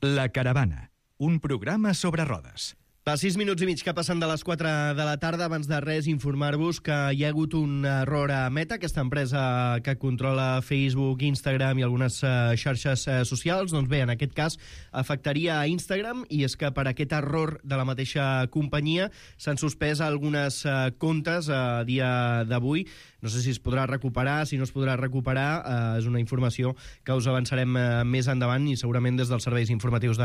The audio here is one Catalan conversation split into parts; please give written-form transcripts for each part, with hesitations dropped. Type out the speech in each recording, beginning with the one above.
La Caravana, un programa sobre rodes. A 6 minuts i mig que passen de les 4 de la tarda. Abans de res, informar-vos que hi ha hagut un error a Meta, aquesta empresa que controla Facebook, Instagram i algunes xarxes socials. Doncs bé, en aquest cas afectaria a Instagram, i és que per aquest error de la mateixa companyia s'han suspès algunes comptes a dia d'avui. No sé si es podrà recuperar, si no es podrà recuperar. És una informació que us avançarem més endavant i segurament des dels serveis informatius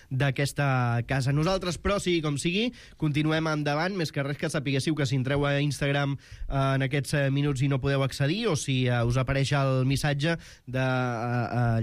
d'aquesta casa. Nosaltres, però, sí, com sigui, continuem endavant, més que res que sapiguéssiu que si entreu a Instagram en aquests minuts i no podeu accedir, o si us apareix el missatge de...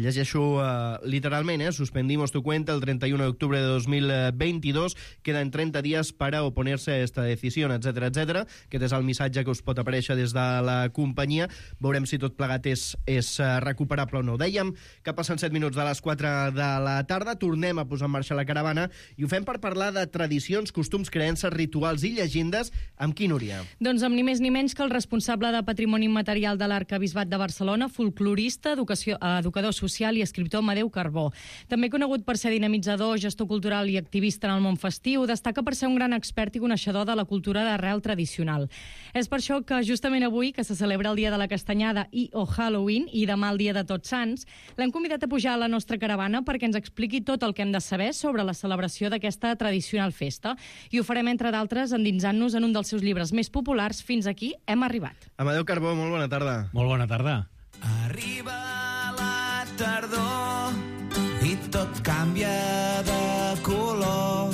llegeixo literalment, suspendimos tu cuenta el 31 de octubre de 2022, quedan 30 días para oponerse a esta decisión, etcétera, etcétera. Aquest és el missatge que us pot aparèixer des de la companyia. Veurem si tot plegat és recuperable o no. Dèiem que passen 7 minuts de les 4 de la tarda, tornem a posar en marxa la caravana i ho fem per parlar de tradicions, costums, creences, rituals i llegendes. Amb qui, Núria? Doncs amb ni més ni menys que el responsable de Patrimoni Immaterial de l'Arquebisbat de Barcelona, folclorista, educador social i escriptor Amadeu Carbó. També conegut per ser dinamitzador, gestor cultural i activista en el món festiu, destaca per ser un gran expert i coneixedor de la cultura d'arrel tradicional. És per això que justament avui, que se celebra el Dia de la Castanyada o Halloween, i demà el Dia de Tots Sants, l'hem convidat a pujar a la nostra caravana perquè ens expliqui tot el que hem de saber sobre la celebració d'aquesta tradicional festa. I ho farem, entre d'altres, endinsant-nos en un dels seus llibres més populars. Fins aquí hem arribat. Amadeu Carbó, molt bona tarda. Molt bona tarda. Arriba la tardor i tot canvia de color.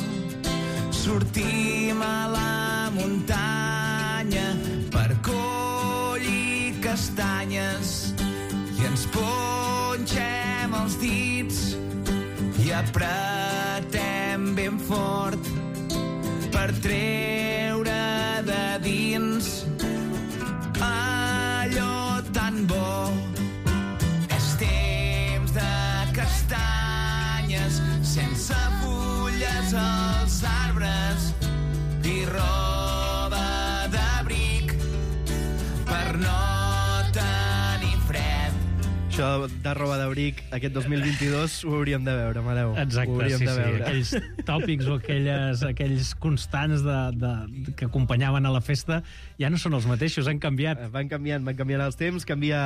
Sortim a la muntanya per collir castanyes i ens punxem els dits i apretem ben fort per treure de dins allò tan bo. És temps de castanyes sense fulles als arbres i roba d'abric per no tenir fred. Això de roba d'abric aquest 2022 ho hauríem de veure, Amadeu. Exacte, sí. Aquells tòpics o aquells constants que acompanyaven a la festa ja no són els mateixos, han canviat. Van canviant els temps, canvia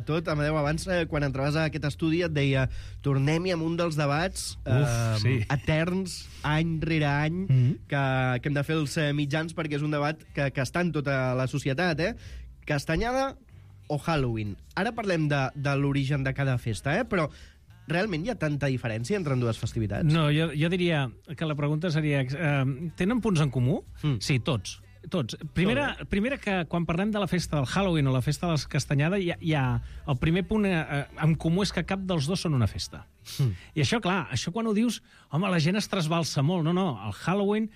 tot. Amadeu, abans, quan entraves a aquest estudi, et deia tornem-hi amb un dels debats eterns, any rere any, que hem de fer els mitjans, perquè és un debat que està en tota la societat. Castanyada o Halloween. Ara parlem de l'origen de cada festa, però realment hi ha tanta diferència entre dues festivitats? No, jo diria que la pregunta seria... tenen punts en comú? Sí, tots. Primera que quan parlem de la festa del Halloween o la festa de la Castanyada, el primer punt en comú és que cap dels dos són una festa. I això, clar, això quan ho dius, home, la gent es trasbalsa molt. No, el Halloween,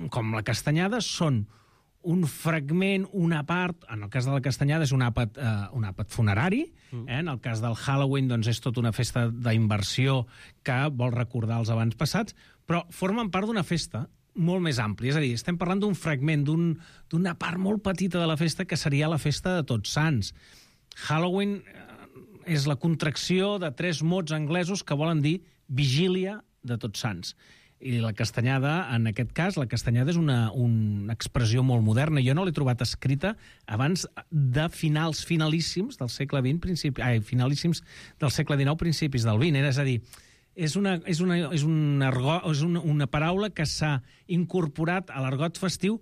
com la Castanyada, són un fragment, una part. En el cas de la Castanyada és un àpat funerari. En el cas del Halloween, doncs, és tota una festa d'inversió que vol recordar els avantpassats, però formen part d'una festa molt més àmplia. És a dir, estem parlant d'un fragment, d'una part molt petita de la festa, que seria la festa de Tots Sants. Halloween és la contracció de 3 mots anglesos que volen dir vigília de Tots Sants. I la Castanyada, en aquest cas, la Castanyada és una expressió molt moderna. Jo no l'he trobat escrita abans de finalíssims del segle XX, finalíssims del segle XIX, principis del XX. És a dir, és una paraula que s'ha incorporat a l'argot festiu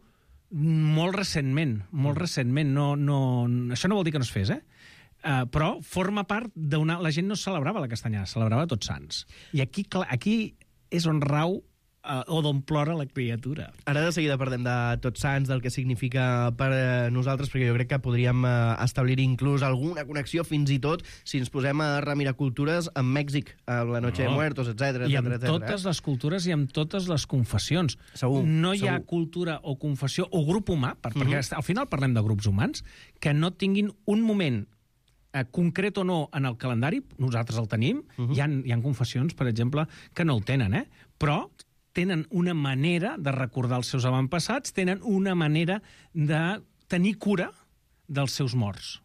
molt recentment. Això no vol dir que no es fes, però forma part d'una... La gent no celebrava la Castanyada, celebrava Tots Sants. I aquí és on rau o d'on plora la criatura. Ara de seguida parlem de Tots Sants, del que significa per nosaltres, perquè jo crec que podríem establir inclús alguna connexió, fins i tot, si ens posem a remirar cultures, amb Mèxic, amb la Noche de Muertos, etc. I amb totes les cultures i amb totes les confessions. Segur. No hi ha cultura o confessió o grup humà, perquè al final parlem de grups humans, que no tinguin un moment concret o no en el calendari. Nosaltres el tenim. Hi ha confessions, per exemple, que no el tenen, però tenen una manera de recordar els seus avantpassats, tenen una manera de tenir cura dels seus morts.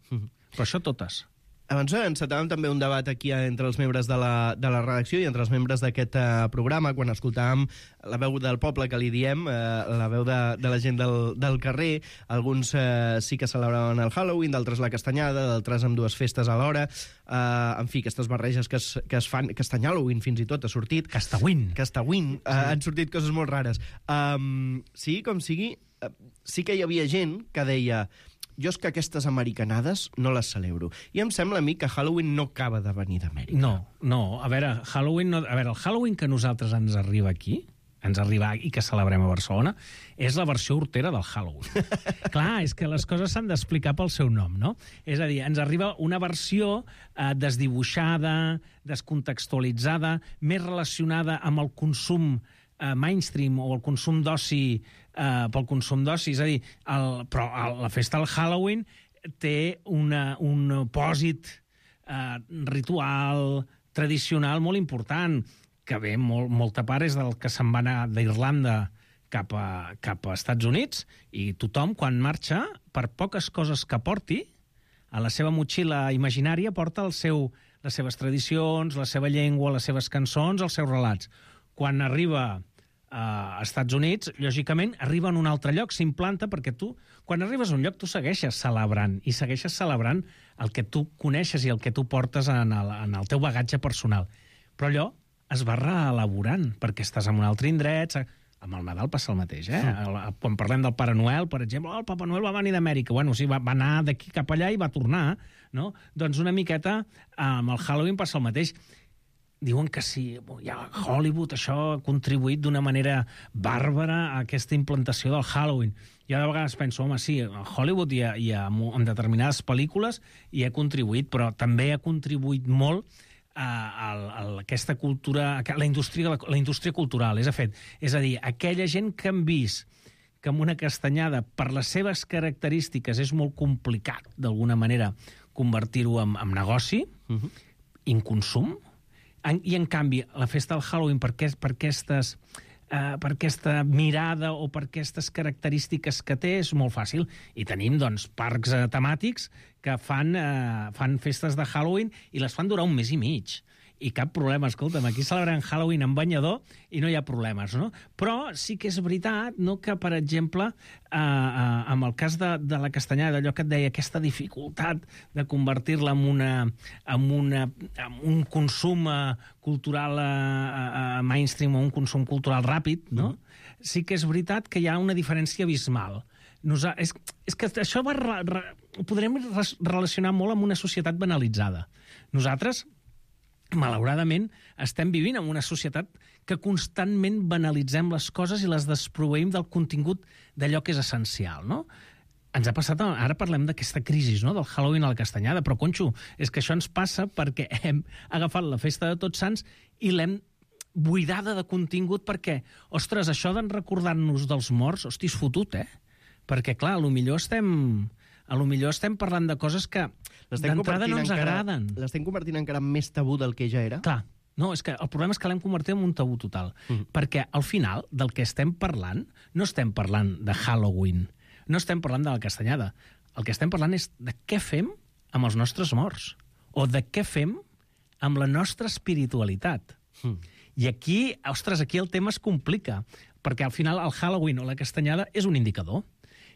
Però això totes. Abans encetàvem també un debat aquí entre els membres de la redacció i entre els membres d'aquest programa, quan escoltàvem la veu del poble, que li diem, la veu de la gent del carrer. Alguns sí que celebraven el Halloween, d'altres la castanyada, d'altres amb dues festes alhora. En fi, aquestes barreges que es fan... Castanyhalloween, fins i tot, ha sortit. Castawin. Han sortit coses molt rares. Sí, com sigui, sí que hi havia gent que deia... Jo és que aquestes americanades no les celebro. I em sembla a mi que Halloween no acaba de venir d'Amèrica. No. A veure, el Halloween que a nosaltres ens arriba aquí, i que celebrem a Barcelona, és la versió hortera del Halloween. Clar, és que les coses s'han d'explicar pel seu nom, no? És a dir, ens arriba una versió desdibuixada, descontextualitzada, més relacionada amb el consum mainstream o el consum d'oci pel consum d'oci. És a dir, però la festa del Halloween té un pòsit ritual, tradicional molt important, que ve molta part és del que se'n va anar d'Irlanda cap a Estats Units, i tothom, quan marxa, per poques coses que porti, a la seva motxilla imaginària porta les seves tradicions, la seva llengua, les seves cançons, els seus relats. Quan arriba a Estats Units, lògicament, arriba en un altre lloc, s'implanta, perquè tu, quan arribes a un lloc, tu segueixes celebrant, i segueixes celebrant el que tu coneixes i el que tu portes en el teu bagatge personal. Però allò es va reelaborant, perquè estàs en un altre indret. Amb el Nadal passa el mateix, Quan parlem del Pare Noel, per exemple, el Papa Noel va venir d'Amèrica. Bueno, sí, va anar d'aquí cap allà i va tornar, no? Doncs una miqueta amb el Halloween passa el mateix. Diuen que sí, ja Hollywood això ha contribuït d'una manera bàrbara a aquesta implantació del Halloween. Jo de vegades penso, home, sí, a Hollywood i en determinades pel·lícules hi ha contribuït, però també ha contribuït molt a aquesta cultura, a la indústria cultural. És a dir, aquella gent que han vist que amb una castanyada, per les seves característiques, és molt complicat, d'alguna manera, convertir-ho en negoci, en consum. I, en canvi, la festa del Halloween, per aquesta mirada o per aquestes característiques que té, és molt fàcil. I tenim, doncs, parcs temàtics que fan festes de Halloween i les fan durar un mes i mig. I cap problema, escolta'm, aquí celebrem Halloween en banyador i no hi ha problemes, no? Però sí que és veritat, no, que, per exemple, amb el cas de la castanyada, allò que et deia, aquesta dificultat de convertir-la en un consum cultural mainstream o un consum cultural ràpid, no? Sí que és veritat que hi ha una diferència abismal. És que això ho podrem relacionar molt amb una societat banalitzada. Nosaltres, malauradament, estem vivint en una societat que constantment banalitzem les coses i les desproveïm del contingut d'allò que és essencial, no? Ens ha passat, ara parlem d'aquesta crisi, no?, del Halloween a la castanyada, però, conxo, és que això ens passa perquè hem agafat la festa de Tots Sants i l'hem buidada de contingut perquè, ostres, això d'en recordar-nos dels morts, hosti, és fotut, Perquè, clar, potser estem parlant de coses que d'entrada no ens agraden. L'estem convertint encara més tabú del que ja era? Clar. No, és que el problema és que l'hem convertit en un tabú total. Perquè, al final, del que estem parlant, no estem parlant de Halloween, no estem parlant de la castanyada. El que estem parlant és de què fem amb els nostres morts, o de què fem amb la nostra espiritualitat. I aquí, ostres, aquí el tema es complica, perquè al final el Halloween o la castanyada és un indicador.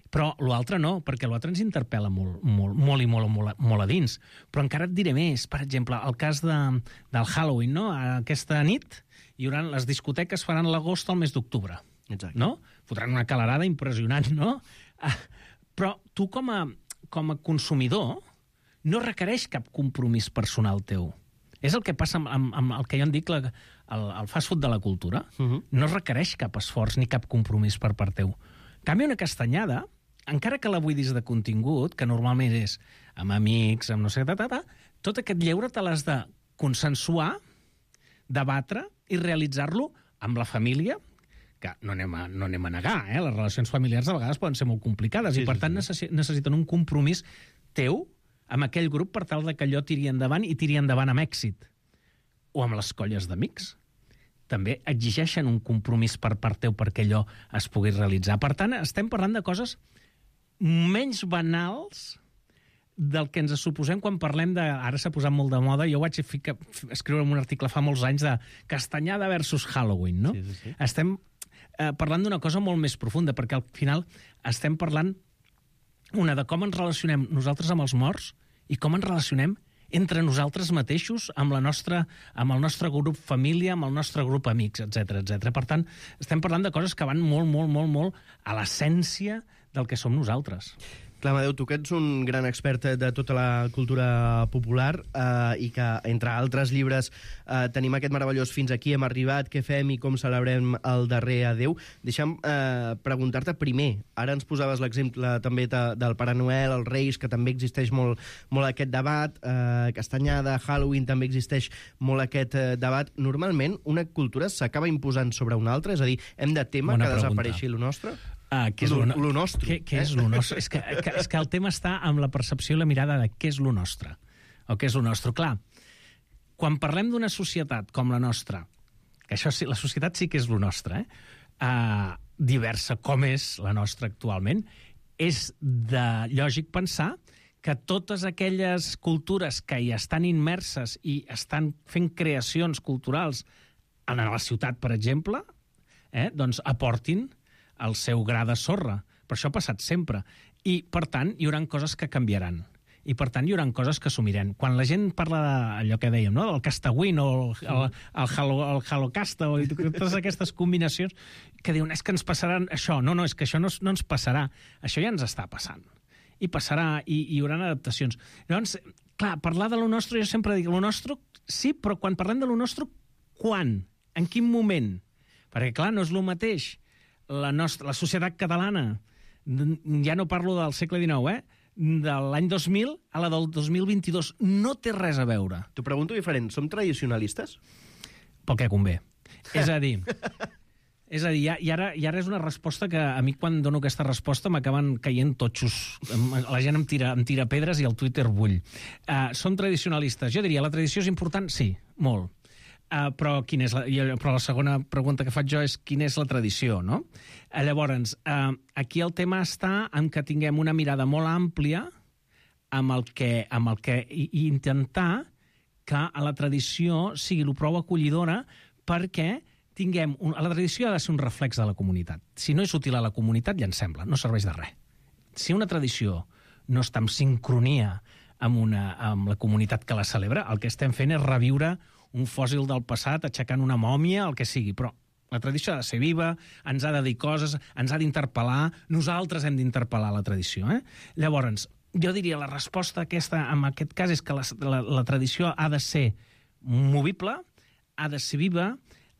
Però l'altre no, perquè l'altre ens interpel·la molt a dins. Però encara et diré més. Per exemple, el cas del Halloween, no? Aquesta nit hi haurà les discoteques faran l'agost al mes d'octubre. Exacte. No? Fotran una calarada impressionant, no? Però tu, com a consumidor, no requereix cap compromís personal teu. És el que passa amb el que jo en dic el fast food de la cultura. No requereix cap esforç ni cap compromís per part teu. En canvi, una castanyada, encara que la buidis de contingut, que normalment és amb amics, amb no sé, tot aquest lleure te l'has de consensuar, debatre i realitzar-lo amb la família, que no anem a negar, les relacions familiars de vegades poden ser molt complicades i, per tant, necessiten un compromís teu amb aquell grup per tal que allò tiri endavant i tiri endavant amb èxit. O amb les colles d'amics. També exigeixen un compromís per part teu perquè allò es pugui realitzar. Per tant, estem parlant de coses menys banals del que ens suposem quan parlem de... Ara s'ha posat molt de moda, jo vaig escriure un article fa molts anys de castanyada versus Halloween, no? Sí. Estem parlant d'una cosa molt més profunda, perquè al final estem parlant de com ens relacionem nosaltres amb els morts i com ens relacionem entre nosaltres mateixos, amb el nostre grup família, amb el nostre grup amics, etc. Per tant, estem parlant de coses que van molt a l'essència del que som nosaltres. Clar, Amadeu, tu que ets un gran expert de tota la cultura popular i que, entre altres llibres, tenim aquest meravellós Fins aquí hem arribat, què fem i com celebrem el darrer adeu. Deixa'm preguntar-te primer. Ara ens posaves l'exemple també del Pare Noel, els Reis, que també existeix molt aquest debat. Castanyada, Halloween, també existeix molt aquest debat. Normalment, una cultura s'acaba imposant sobre una altra? És a dir, hem de temer que desapareixi lo nostre? Què és lo nostre? Què és lo nostre? És que el tema està amb la percepció i la mirada de què és lo nostre. O què és lo nostre. Clar, quan parlem d'una societat com la nostra, que això sí, la societat sí que és lo nostre, diversa com és la nostra actualment, és lògic pensar que totes aquelles cultures que hi estan immerses i estan fent creacions culturals en la ciutat, per exemple, doncs aportin el seu gra de sorra. Per això ha passat sempre. I, per tant, hi haurà coses que canviaran. I, per tant, hi haurà coses que assumirem. Quan la gent parla d'allò que dèiem, no? Del Castawin o el Halocasta o totes aquestes combinacions que diuen, és que ens passaran això. No, és que això no ens passarà. Això ja ens està passant. I passarà, i hi haurà adaptacions. Llavors, clar, parlar de lo nostre, jo sempre dic, lo nostre, sí, però quan parlem de lo nostre, quan? En quin moment? Perquè, clar, no és el mateix la societat catalana, ja no parlo del segle XIX, de l'any 2000 a la del 2022, no té res a veure. T'ho pregunto diferent, som tradicionalistes? Pel que convé. És a dir, i ara és una resposta que a mi quan dono aquesta resposta m'acaben caient totxos. La gent em tira pedres i el Twitter bull. Som tradicionalistes. Jo diria, la tradició és important? Sí, molt. Però la segona pregunta que faig jo és quina és la tradició, no? Llavors, aquí el tema està en que tinguem una mirada molt àmplia amb el que i intentar que la tradició sigui el prou acollidora perquè tinguem... La tradició ha de ser un reflex de la comunitat. Si no és útil a la comunitat, ja ens sembla, no serveix de res. Si una tradició no està en sincronia amb la comunitat que la celebra, el que estem fent és reviure un fòssil del passat, aixecant una mòmia, el que sigui, però la tradició ha de ser viva, ens ha de dir coses, ens ha d'interpel·lar, nosaltres hem d'interpel·lar la tradició. Llavors, jo diria la resposta aquesta, en aquest cas, és que la tradició ha de ser movible, ha de ser viva,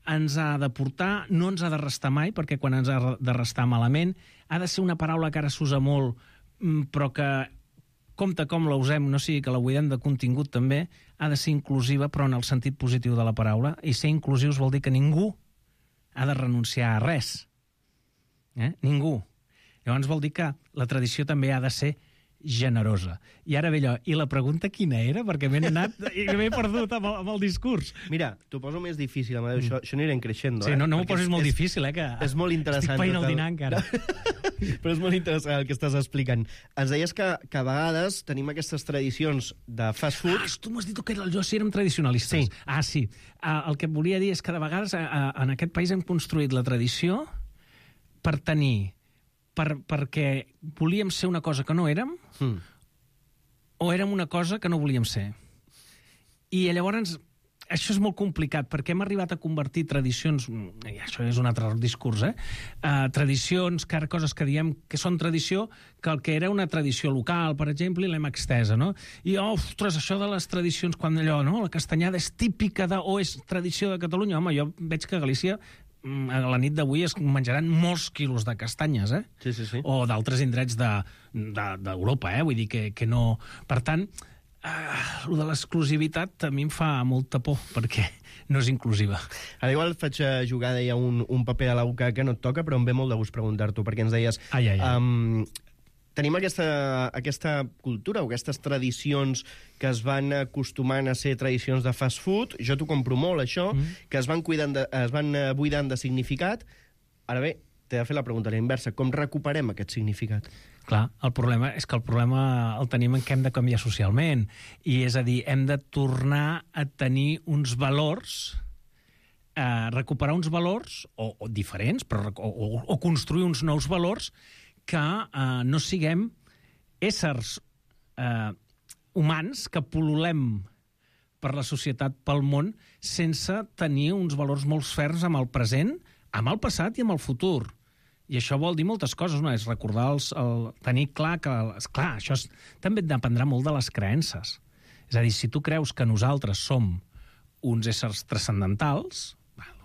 ens ha de portar, no ens ha de restar mai, perquè quan ens ha de restar malament, ha de ser una paraula que ara s'usa molt, però que compte com la usem, no sigui que la buidem de contingut també, ha de ser inclusiva, però en el sentit positiu de la paraula, i ser inclusius vol dir que ningú ha de renunciar a res. Ningú. Llavors vol dir que la tradició també ha de ser generosa. I ara ve allò, i la pregunta quina era? Perquè m'he anat i m'he perdut amb el discurs. Mira, t'ho poso més difícil, Amadeu, això anirem creixent. Sí, no m'ho posis molt difícil, que és molt interessant. Estic païnt el dinar encara. Però és molt interessant el que estàs explicant. Ens deies que a vegades tenim aquestes tradicions de fast food... Tu m'has dit que jo sí érem tradicionalistes. Sí. Sí. El que volia dir és que de vegades en aquest país hem construït la tradició per tenir... perquè volíem ser una cosa que no érem o érem una cosa que no volíem ser. I llavors això és molt complicat perquè hem arribat a convertir tradicions, i això és un altre discurs, tradicions, coses que diem que són tradició, que el que era una tradició local, per exemple, i l'hem extesa, no? I, ostres, això de les tradicions, quan allò, no? La castanyada és típica o és tradició de Catalunya. Home, jo veig que a Galícia a la nit d'avui es menjaran molts quilos de castanyes, Sí. O d'altres indrets d'Europa, vull dir que no... Per tant, el de l'exclusivitat a mi em fa molta por, perquè no és inclusiva. Ara igual faig jugar, deia, un paper a la boca que no et toca, però em ve molt de gust preguntar-t'ho, perquè ens deies... Tenim aquesta cultura o aquestes tradicions que es van acostumant a ser tradicions de fast food, jo t'ho compro molt, això, que es van buidant de significat. Ara bé, t'he de fer la pregunta a la inversa, com recuperem aquest significat? Clar, el problema és que el problema el tenim en què hem de canviar socialment. I és a dir, hem de tornar a tenir uns valors, recuperar uns valors, o diferents, però, o construir uns nous valors que no siguem éssers humans que pol·lulem per la societat, pel món, sense tenir uns valors molt ferms amb el present, amb el passat i amb el futur. I això vol dir moltes coses, no? És recordar, tenir clar que... Clar, això també dependrà molt de les creences. És a dir, si tu creus que nosaltres som uns éssers transcendentals,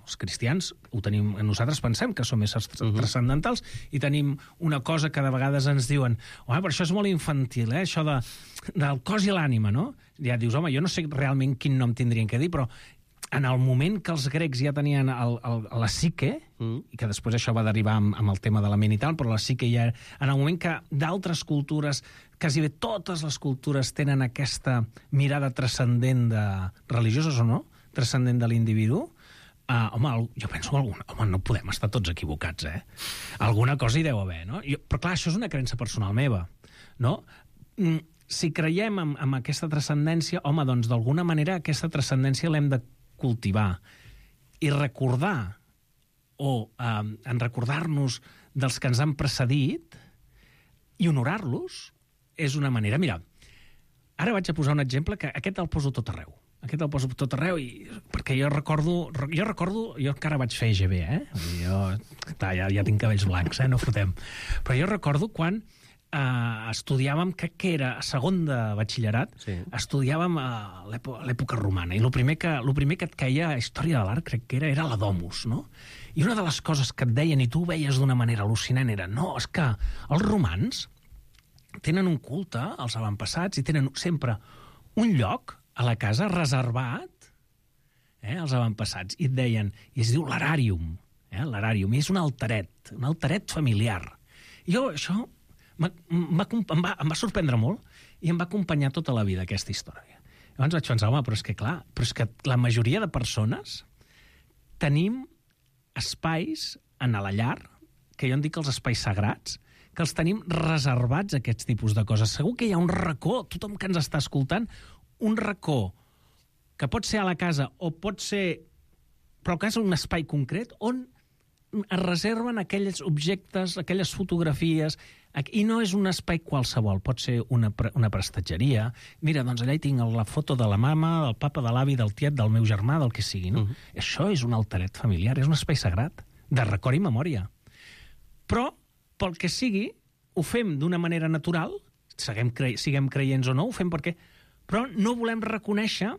els cristians ho tenim, nosaltres pensem que som éssers transcendentals i tenim una cosa que de vegades ens diuen però això és molt infantil, això del cos i l'ànima, no? Ja dius, home, jo no sé realment quin nom tindrien que dir, però en el moment que els grecs ja tenien la psique, i que després això va derivar amb el tema de la ment i tal, però la psique ja... En el moment que d'altres cultures, quasi bé totes les cultures tenen aquesta mirada transcendent religioses o no, transcendent de l'individu, jo penso que no podem estar tots equivocats, Alguna cosa hi deu haver, no? Però clar, això és una creença personal meva, no? Si creiem en aquesta transcendència, doncs d'alguna manera aquesta transcendència l'hem de cultivar i recordar en recordar-nos dels que ens han precedit i honorar-los és una manera... Mira, ara vaig a posar un exemple que aquest el poso tot arreu. Perquè jo recordo, jo encara vaig fer EGB, ja tinc cabells blancs, no fotem. Però jo recordo quan estudiàvem, crec que era a segon de batxillerat, estudiàvem a l'època romana, i el primer que et caia a història de l'art, crec que era la domus, no? I una de les coses que et deien, i tu ho veies d'una manera al·lucinant, era, no, és que els romans tenen un culte als avantpassats i tenen sempre un lloc a la casa reservat als avantpassats, i et deien, i es diu l'Aràrium, l'Aràrium, i és un alteret familiar. I jo, això em va sorprendre molt i em va acompanyar tota la vida aquesta història. Llavors vaig pensar, però és que la majoria de persones tenim espais en la llar, que jo en dic els espais sagrats, que els tenim reservats a aquests tipus de coses. Segur que hi ha un racó, tothom que ens està escoltant, un racó que pot ser a la casa o pot ser, però que és un espai concret on es reserven aquells objectes, aquelles fotografies, i no és un espai qualsevol, pot ser una prestatgeria. Mira, doncs allà hi tinc la foto de la mama, del papa, de l'avi, del tiet, del meu germà, del que sigui, no? Això és un alteret familiar, és un espai sagrat, de record i memòria. Però, pel que sigui, ho fem d'una manera natural, siguem creients o no, ho fem perquè... Però no volem reconèixer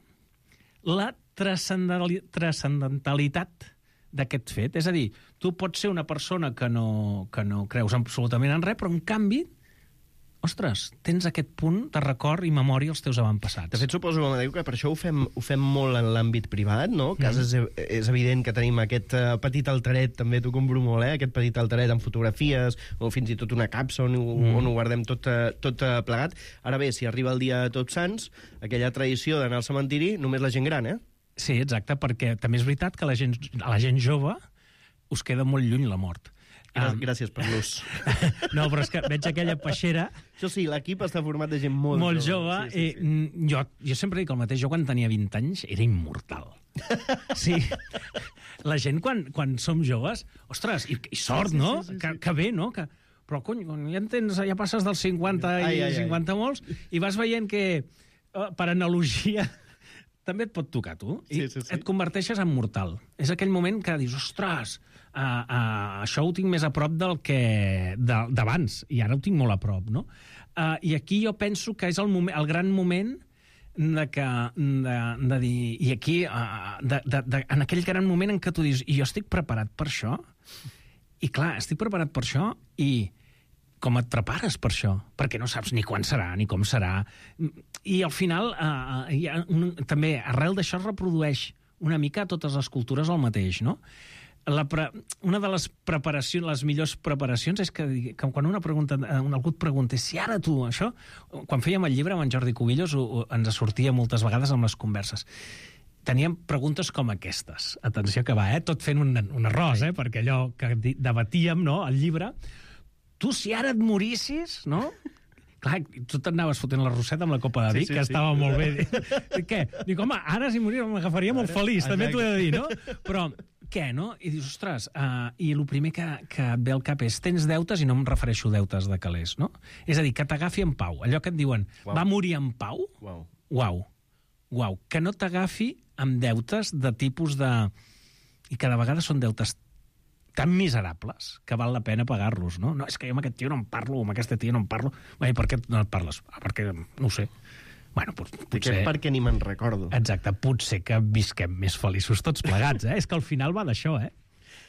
la transcendentalitat d'aquest fet. És a dir, tu pots ser una persona que no creus absolutament en res, però en canvi, ostres, tens aquest punt de record i memòria als teus avantpassats. De fet, suposo, Amadeu, que per això ho fem molt en l'àmbit privat, no? Que és evident que tenim aquest petit alteret, també t'ho compro molt, aquest petit alteret amb fotografies, o fins i tot una capsa on ho guardem tot plegat. Ara bé, si arriba el dia de Tots Sants, aquella tradició d'anar al cementiri, només la gent gran, Sí, exacte, perquè també és veritat que a la gent jove us queda molt lluny la mort. Gràcies per l'ús. No, però és que veig aquella peixera... Això sí, l'equip està format de gent molt jove. Sí. Jo sempre dic el mateix, jo quan tenia 20 anys era immortal. Sí. La gent, quan som joves, ostres, i sort, no? Que bé, no? Però, cony, ja passes dels 50 i 50 molts, i vas veient que, per analogia... també et pot tocar, tu, i et converteixes en mortal. És aquell moment que dius, ostres, això ho tinc més a prop d'abans, i ara ho tinc molt a prop, no? I aquí jo penso que és el gran moment de dir... I aquí, en aquell gran moment en què tu dius, i jo estic preparat per això? I clar, estic preparat per això, i com et prepares per això? Perquè no saps ni quan serà, ni com serà. I al final, també, arrel d'això es reprodueix una mica a totes les cultures el mateix, no? Una de les preparacions, les millors preparacions, és que quan algú et pregunta si ara tu, això... Quan fèiem el llibre amb en Jordi Cubillos ens sortia moltes vegades amb les converses. Teníem preguntes com aquestes. Atenció que va, tot fent un arròs, perquè allò que debatíem, no?, el llibre... tu si ara et morissis, no? Clar, tu t'anaves fotent la roseta amb la copa de vi, que estava molt bé. Què? Dic, home, ara si moria m'agafaria molt feliç, també t'ho he de dir, no? Però què, no? I dius, ostres, i el primer que et ve al cap és tens deutes, i no em refereixo a deutes de calés, no? És a dir, que t'agafi en pau. Allò que et diuen, va morir en pau? Uau. Que no t'agafi amb deutes de tipus de... I cada vegada són deutes tan miserables que val la pena pagar-los, no? No, és que jo amb aquest tio no en parlo, amb aquesta tia no en parlo. Bé, per què no et parles? Perquè, no ho sé. Bueno, potser... Perquè ni me'n recordo. Exacte, potser que visquem més feliços tots plegats, eh? És que al final va d'això, eh?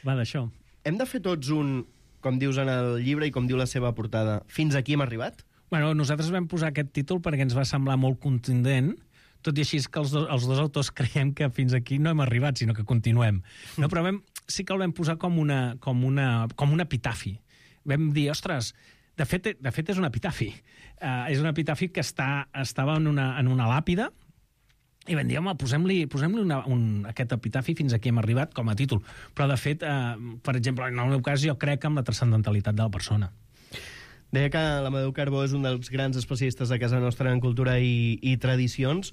Va d'això. Hem de fer tots un, com dius en el llibre i com diu la seva portada, fins aquí hem arribat? Bueno, nosaltres vam posar aquest títol perquè ens va semblar molt contundent, tot i així que els dos autors creiem que fins aquí no hem arribat, sinó que continuem. No, però sí que el vam posar com un epitafi. Vam dir, ostres, de fet és un epitafi. És un epitafi que estava en una làpida, i vam dir, home, posem-li aquest epitafi fins aquí hem arribat com a títol. Però, de fet, per exemple, en el meu cas, jo crec en la transcendentalitat de la persona. Deia que l'Amadeu Carbó és un dels grans especialistes de casa nostra en cultura i tradicions.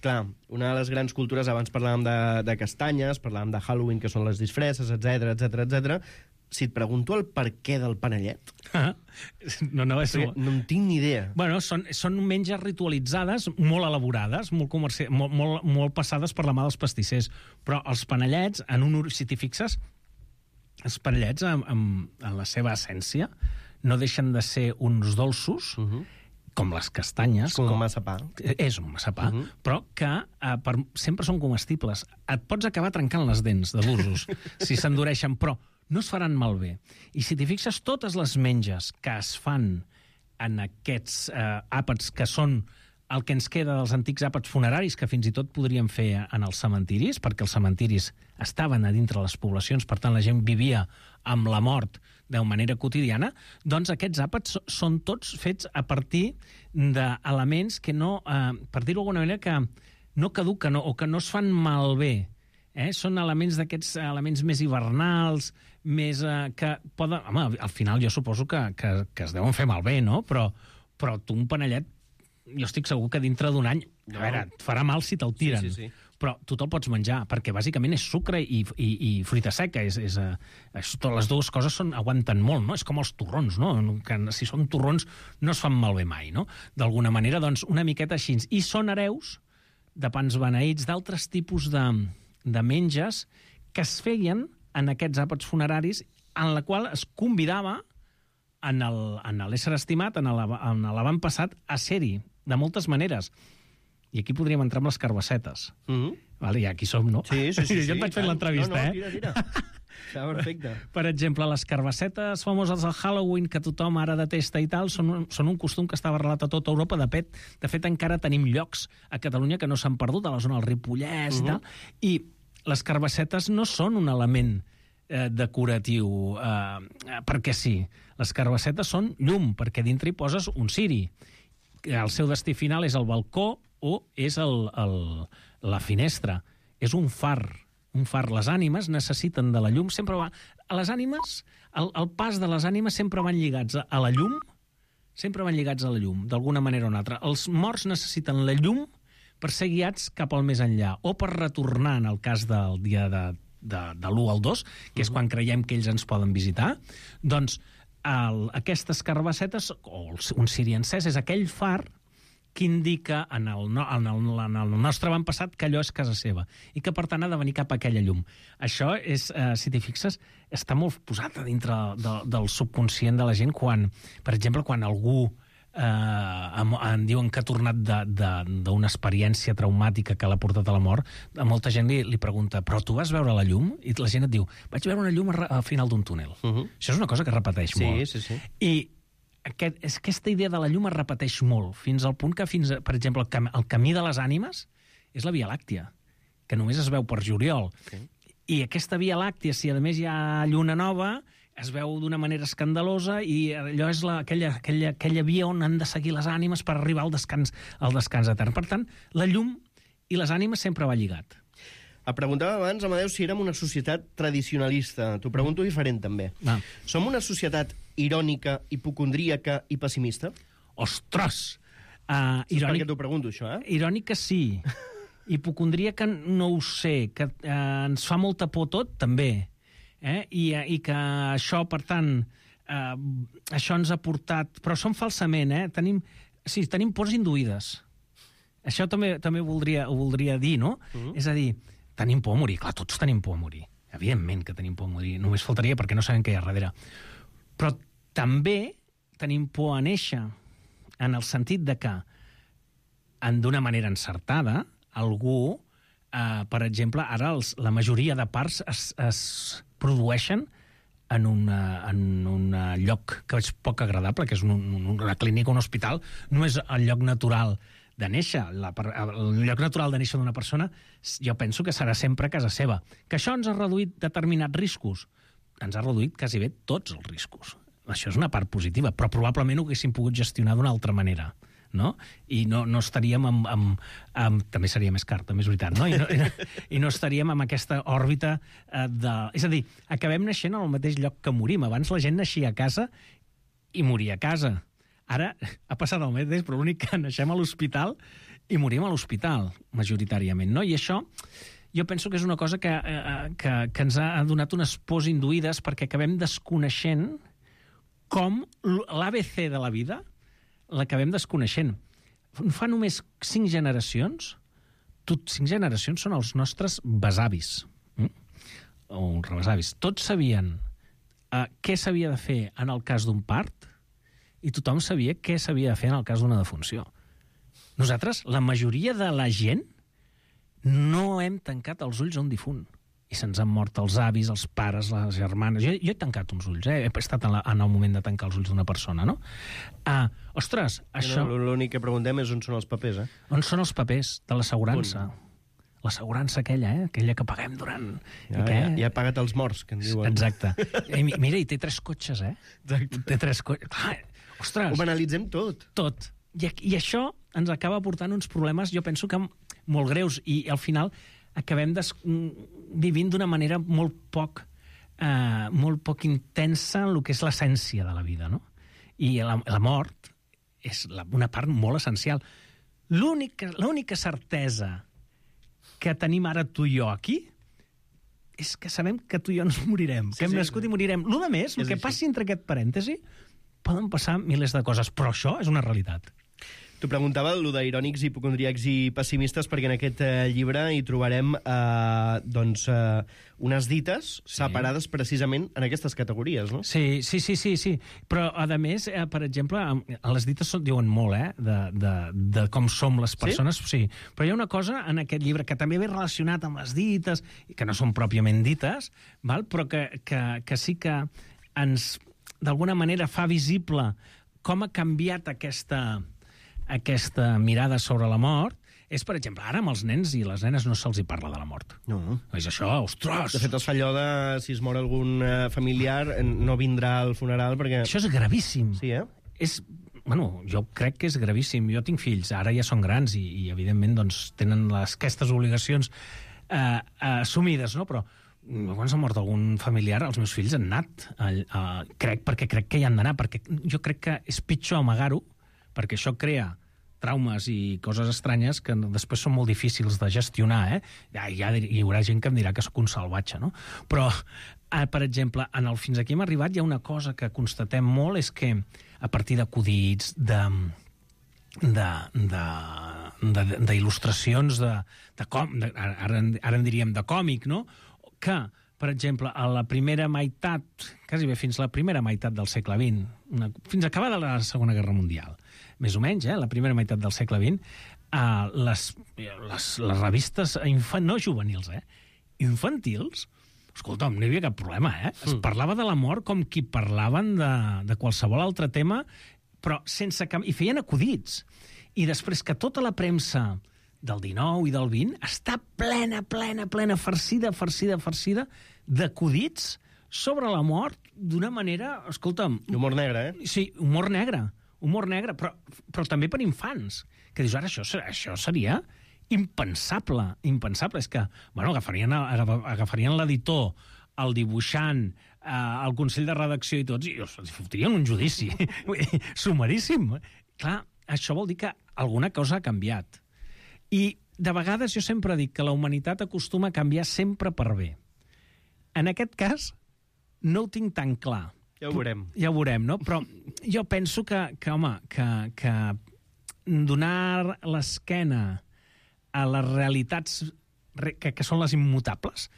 Clar, una de les grans cultures, abans parlàvem de castanyes, parlàvem de Halloween, que són les disfresses, etc. Si et pregunto el per què del panellet... No en tinc ni idea. Bueno, són menges ritualitzades, molt elaborades, molt passades per la mà dels pastissers. Però els panellets, si t'hi fixes, els panellets, en la seva essència, no deixen de ser uns dolços, com les castanyes. Com un massapà. És un massapà, però que sempre són comestibles. Et pots acabar trencant les dents de d'usos si s'endureixen, però no es faran malbé. I si t'hi fixes, totes les menges que es fan en aquests àpats que són el que ens queda dels antics àpats funeraris, que fins i tot podríem fer en els cementiris, perquè els cementiris estaven a dintre les poblacions, per tant la gent vivia amb la mort de manera quotidiana, doncs aquests àpats són tots fets a partir d'elements que no, per dir-ho d'alguna manera, que no caduquen o que no es fan malbé. Són elements d'aquests elements més hivernals, més que poden... Home, al final jo suposo que es deuen fer malbé, no? Però tu un panellet, jo estic segur que dintre d'un any, a veure, et farà mal si te'l tiren. Sí. Però tu te'l pots menjar, perquè bàsicament és sucre i fruita seca. Totes les dues coses aguanten molt, no? És com els torrons, no? Que si són torrons no es fan malbé mai, no? D'alguna manera, doncs, una miqueta així. I són hereus de pans beneïts, d'altres tipus de menges que es feien en aquests àpats funeraris, en la qual es convidava en l'ésser estimat, en l'avantpassat, a ser-hi, de moltes maneres. I aquí podríem entrar amb les carbassetes. Vale, i aquí som, no? Sí. Jo et vaig fent l'entrevista, tira. Està perfecte. Per exemple, les carbassetes famoses del Halloween, que tothom ara detesta i tal, són un costum que estava arrelat a tota Europa. De fet, encara tenim llocs a Catalunya que no s'han perdut, a la zona del Ripollès i tal. I les carbassetes no són un element decoratiu perquè sí. Les carbassetes són llum, perquè dintre hi poses un ciri. El seu destí final és el balcó o és la finestra. És un far. Les ànimes necessiten de la llum. Les ànimes, el pas de les ànimes sempre van lligats a la llum, d'alguna manera o una altra. Els morts necessiten la llum per ser guiats cap al més enllà, o per retornar, en el cas del dia de l'1 al 2, que és quan creiem que ells ens poden visitar, doncs aquestes carbassetes, o un ciri encès, és aquell far que indica en el nostre avantpassat que allò és casa seva i que, per tant, ha de venir cap a aquella llum. Això és, si t'hi fixes, està molt posat a dintre del subconscient de la gent quan, per exemple, quan algú em diuen que ha tornat d'una experiència traumàtica que l'ha portat a la mort, a molta gent li pregunta, però tu vas veure la llum? I la gent et diu, vaig veure una llum al final d'un túnel. Això és una cosa que es repeteix molt. Sí. I aquesta idea de la llum es repeteix molt, fins al punt que, per exemple, el camí de les ànimes és la Via Làctia, que només es veu per juliol. I aquesta Via Làctia, si a més hi ha lluna nova, es veu d'una manera escandalosa i allò és aquella via on han de seguir les ànimes per arribar al descans etern. Per tant, la llum i les ànimes sempre va lligat. Et preguntava abans, Amadeu, si érem una societat tradicionalista. T'ho pregunto diferent, també. Som una societat irònica, hipocondríaca i pessimista? Ostres! És perquè t'ho pregunto, això, Irònica sí. Hipocondríaca no ho sé. Que ens fa molta por tot, també. I que això, per tant, això ens ha portat... Però som falsament, tenim pors induïdes. Això també ho voldria dir, no? És a dir, tenim por a morir. Clar, tots tenim por a morir. Evidentment que tenim por a morir. Només faltaria perquè no sabem què hi ha darrere. Però també tenim por a néixer, en el sentit de que, d'una manera encertada, algú, per exemple, ara la majoria de parts es produeixen en un lloc que és poc agradable, que és una clínica, un hospital. No és el lloc natural de néixer. El lloc natural de néixer d'una persona, jo penso que serà sempre a casa seva. Que això ens ha reduït determinats riscos. Ens ha reduït quasi bé tots els riscos. Això és una part positiva, però probablement ho haguéssim pogut gestionar d'una altra manera. No? I no estaríem també seria més car, també és veritat, no? I no estaríem en aquesta òrbita És a dir, acabem naixent al mateix lloc que morim. Abans la gent naixia a casa i moria a casa. Ara ha passat el mateix, però l'únic que naixem a l'hospital i morim a l'hospital, majoritàriament, no? I això jo penso que és una cosa que ens ha donat unes pors induïdes perquè acabem desconeixent com l'ABC de la vida l'acabem desconeixent. Fa només 5 generacions, 5 generacions són els nostres besavis, o rebesavis. Tots sabien què s'havia de fer en el cas d'un part i tothom sabia què s'havia de fer en el cas d'una defunció. Nosaltres, la majoria de la gent, no hem tancat els ulls a un difunt. I se'ns han mort els avis, els pares, les germanes... Jo he tancat uns ulls, he estat en el moment de tancar els ulls d'una persona, no? Ostres, això... L'únic que preguntem és on són els papers, On són els papers de l'assegurança? L'assegurança aquella, aquella que paguem durant... Ja ha pagat els morts, que en diuen. Exacte. Mira, i té 3 cotxes, Exacte. Té 3 cotxes. Ostres! Ho banalitzem tot. Tot. I això ens acaba portant uns problemes, jo penso que molt greus, i al final acabem vivint d'una manera molt poc intensa en el que és l'essència de la vida, no? I la mort és una part molt essencial. L'única certesa que tenim ara tu i jo aquí és que sabem que tu i jo ens morirem, que hem nascut i morirem. Lo de més, el que passi entre aquest parèntesi, poden passar milers de coses, però això és una realitat. T'ho preguntava, allò d'irònics, hipocondríacs i pessimistes, perquè en aquest llibre hi trobarem unes dites separades precisament en aquestes categories, no? Sí. Però, a més, per exemple, les dites diuen molt, de com som les persones. Sí? Però hi ha una cosa en aquest llibre que també ve relacionat amb les dites, que no són pròpiament dites, però que sí que ens, d'alguna manera, fa visible com ha canviat aquesta mirada sobre la mort, és, per exemple, ara amb els nens i les nenes no se'ls hi parla de la mort. No. És això, ostres! De fet, es fa allò de si es mor algun familiar, no vindrà al funeral perquè... Això és gravíssim. Sí, Jo crec que és gravíssim. Jo tinc fills, ara ja són grans i evidentment, doncs, tenen aquestes obligacions assumides, no? Però quan s'ha mort algun familiar, els meus fills han anat. Perquè crec que hi han d'anar, perquè jo crec que és pitjor amagar-ho, perquè això crea traumes i coses estranyes que després són molt difícils de gestionar, Ja hi haurà gent que em dirà que sóc un salvatge, no? Però, per exemple, fins aquí hem arribat, hi ha una cosa que constatem molt, és que a partir d'acudits, d'il·lustracions, ara en diríem de còmic, no? Que, per exemple, a la primera meitat, quasi bé fins la primera meitat del segle XX, fins acabada la Segona Guerra Mundial, més o menys, la primera meitat del segle XX, les revistes no juvenils, infantils, escolta'm, no hi havia cap problema, Es parlava de la mort com qui parlaven de qualsevol altre tema, però sense cap... I feien acudits. I després que tota la premsa del 19 i del 20 està plena, farcida d'acudits sobre la mort d'una manera, escolta'm... Humor negre, Sí, humor negre, però també per infants. Que dius, ara això seria impensable. És que, agafarien l'editor el dibuixant, el Consell de Redacció i tots, i els fotrien un judici sumaríssim. Clar, això vol dir que alguna cosa ha canviat. I de vegades jo sempre dic que la humanitat acostuma a canviar sempre per bé. En aquest cas, no ho tinc tan clar. Ja ho veurem. Ja ho veurem, no? Però jo penso que donar l'esquena a les realitats que són les immutables,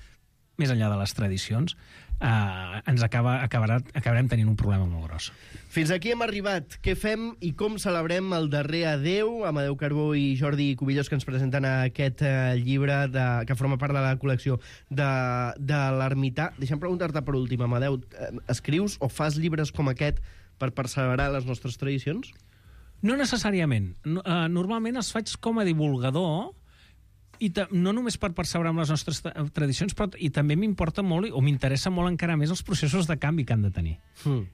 més enllà de les tradicions, acabarem tenint un problema molt gros. Fins aquí hem arribat. Què fem i com celebrem el darrer adeu? Amadeu Carbó i Jordi Cubillós, que ens presenten aquest llibre que forma part de la col·lecció de l'Ermità. Deixa'm preguntar-te per últim, Amadeu, escrius o fas llibres com aquest per perseverar les nostres tradicions? No necessàriament. Normalment els faig com a divulgador, i no només per perseverar amb les nostres tradicions, però i també m'importa molt, o m'interessa molt encara més, els processos de canvi que han de tenir.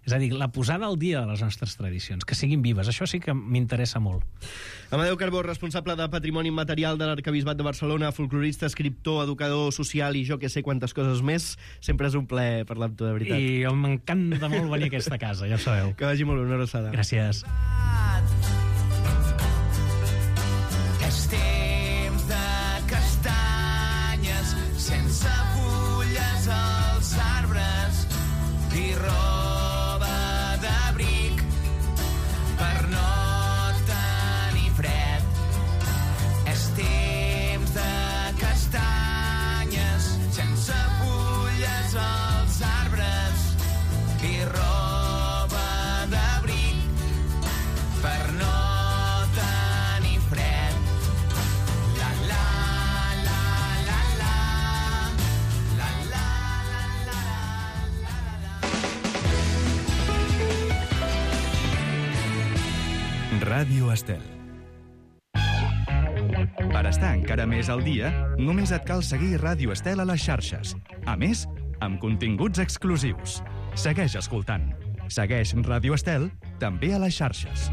És a dir, la posada al dia de les nostres tradicions, que siguin vives. Això sí que m'interessa molt. Amadeu Carbó, responsable de Patrimoni Immaterial de l'Arquebisbat de Barcelona, folclorista, escriptor, educador social i jo que sé quantes coses més. Sempre és un plaer parlar amb tu, de veritat. I m'encanta molt venir a aquesta casa, ja ho sabeu. Que vagi molt bé, una abraçada. Gràcies. És temps de castanyes sense fulles als arbres i roba d'abric per no tenir fred. És temps de castanyes sense fulles als arbres i roba d'abric per no tenir fred. La la la la la la la la la. Ràdio Estel. Per estar encara més al dia, només et cal seguir Ràdio Estel a les xarxes. A més, amb continguts exclusius. Segueix escoltant. Segueix Ràdio Estel també a les xarxes.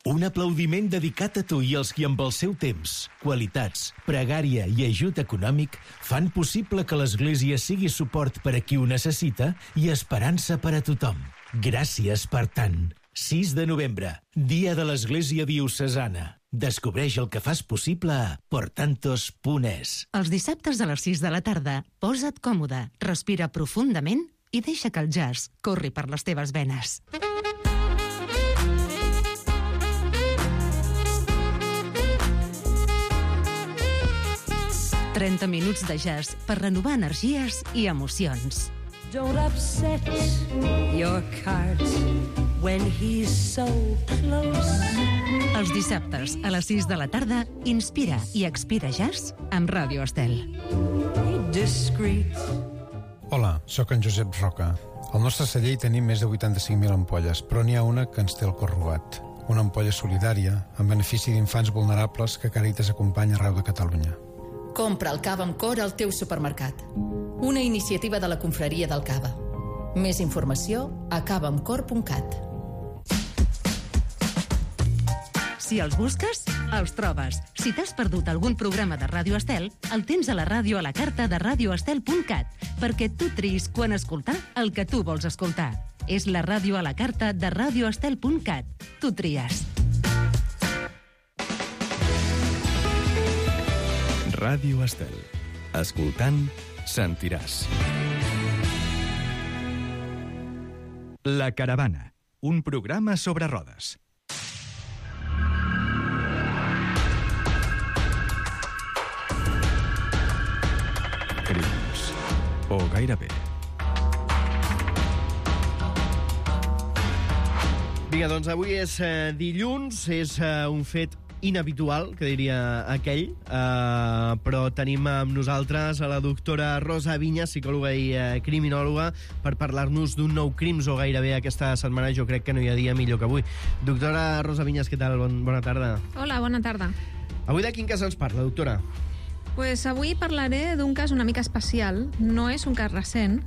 Un aplaudiment dedicat a tu i als qui amb el seu temps, qualitats, pregària i ajut econòmic fan possible que l'Església sigui suport per a qui ho necessita i esperança per a tothom. Gràcies per tant. 6 de novembre, Dia de l'Església Diocesana. Descobreix el que fas possible a portantos.es. Els dissabtes a les 6 de la tarda, posa't còmode, respira profundament i deixa que el jazz corri per les teves venes. «30 minuts de jazz per renovar energies i emocions». Don't upset your cart when he's so close. Els dissabtes a les 6 de la tarda, inspira i expira jazz amb Ràdio Estel. Discreet. Hola, sóc en Josep Roca. Al nostre celler hi tenim més de 85.000 ampolles, però n'hi ha una que ens té el cor robat. Una ampolla solidària en benefici d'infants vulnerables que Càritas acompanya arreu de Catalunya. Compra el cava amb cor al teu supermercat. Una iniciativa de la Confraria del Cava. Més informació a cavaamcor.cat. Si els busques, els trobes. Si t'has perdut algun programa de Ràdio Estel, el tens a la ràdio a la carta de radioestel.cat, perquè tu triïs quan escoltar el que tu vols escoltar. És la ràdio a la carta de radioestel.cat. Tu tries. Ràdio Estel. Escoltant, sentiràs. La Caravana, un programa sobre rodes. Crims. O gairebé. Vinga, doncs avui és dilluns, és un fet inhabitual, que diria aquell, però tenim amb nosaltres a la doctora Rosa Vinyes, psicòloga i criminòloga, per parlar-nos d'un nou Crims o gairebé aquesta setmana. Jo crec que no hi ha dia millor que avui. Doctora Rosa Vinyes, què tal? Bona tarda. Hola, bona tarda. Avui de quin cas ens parla, doctora? Pues avui parlaré d'un cas una mica especial. No és un cas recent.